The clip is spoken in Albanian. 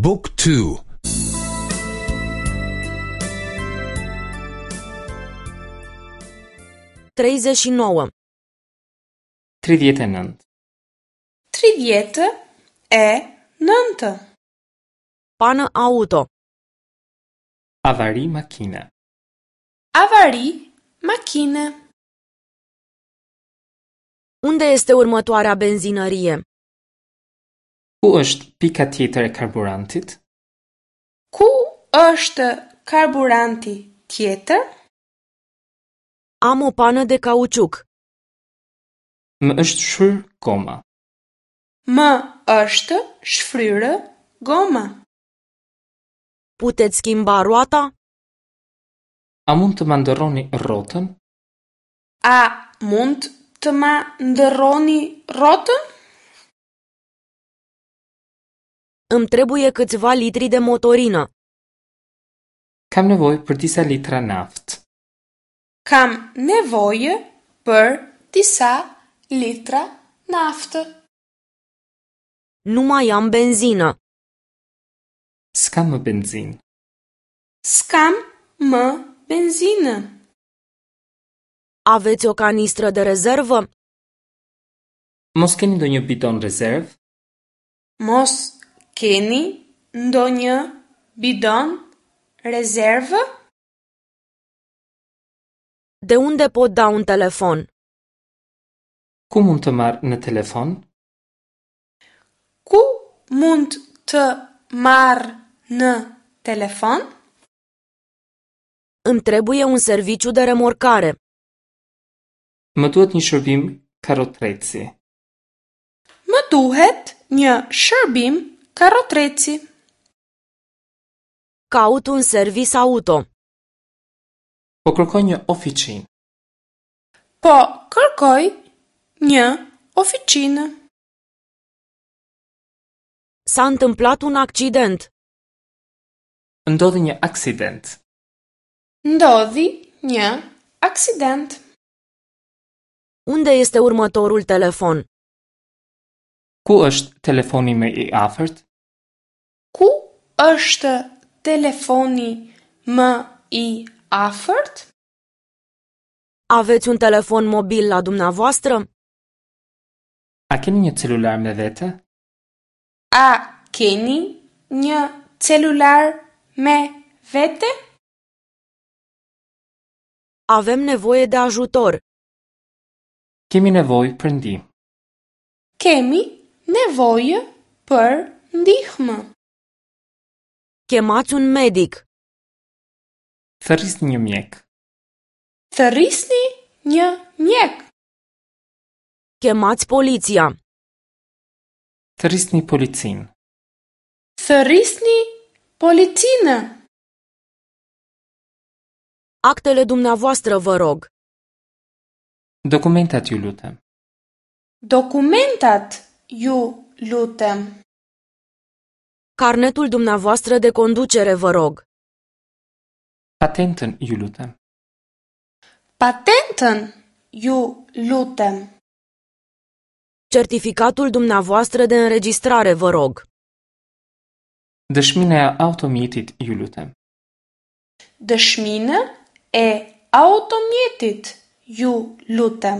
บุ๊กทู 39. 39. 39. Pană auto. Avari makine. Avari makine. Unde este următoarea benzinărie? Ku është pika tjetër e karburantit? Ku është karburanti tjetër? Am o pană de cauciuc. Më është shfryrë goma. Më është shfryrë goma. Puteți schimba roata? A mund të ma ndërroni rrotën? A mund të ma ndërroni rrotën? Îmi trebuie câțiva litri de motorină. Kam nevojë për disa litra naftë. Kam nevojë për disa litra naftë. Nu mai am benzină. S'kam më benzinë. S'kam më benzinë. Aveți o canistră de rezervă? Mos keni ndonjë bidon rezervë? Mos keni ndonjë bidon rezervë? De unde pot da un telefon? Ku mund të marr në telefon? Ku mund të marr në telefon? Îmi trebuie un serviciu de remorcare. Më duhet një shërbim karotreci. Më duhet një shërbim karrotreci. Caut un service auto. Po kërkoj një ofiçinë. Po kërkoj një ofiçinë. S-a întâmplat un accident. Ndodhi një aksident. Ndodhi një aksident. Unde este următorul telefon? Ku është telefoni më i afërt? Ku është telefoni më i afërt? Aveți un telefon mobil la dumneavoastră? A keni një celular me vete? A keni një celular me vete? Avem nevoie de ajutor. Kemi nevojë për ndihmë. Kemi nevojë për ndihmë. Chemați un medic. Thërrisni një mjek. Thërrisni një mjek. Chemați poliția. Thërrisni policinë. Thërrisni policinë. Actele dumneavoastră, vă rog. Dokumentat ju lutem. Dokumentat ju lutem. Carnetul dumneavoastră de conducere, vă rog. Patentën ju lutem. Patentën ju lutem. Certificatul dumneavoastră de înregistrare, vă rog. Dëshminë e automjetit ju lutem. Dëshminë e automjetit ju lutem.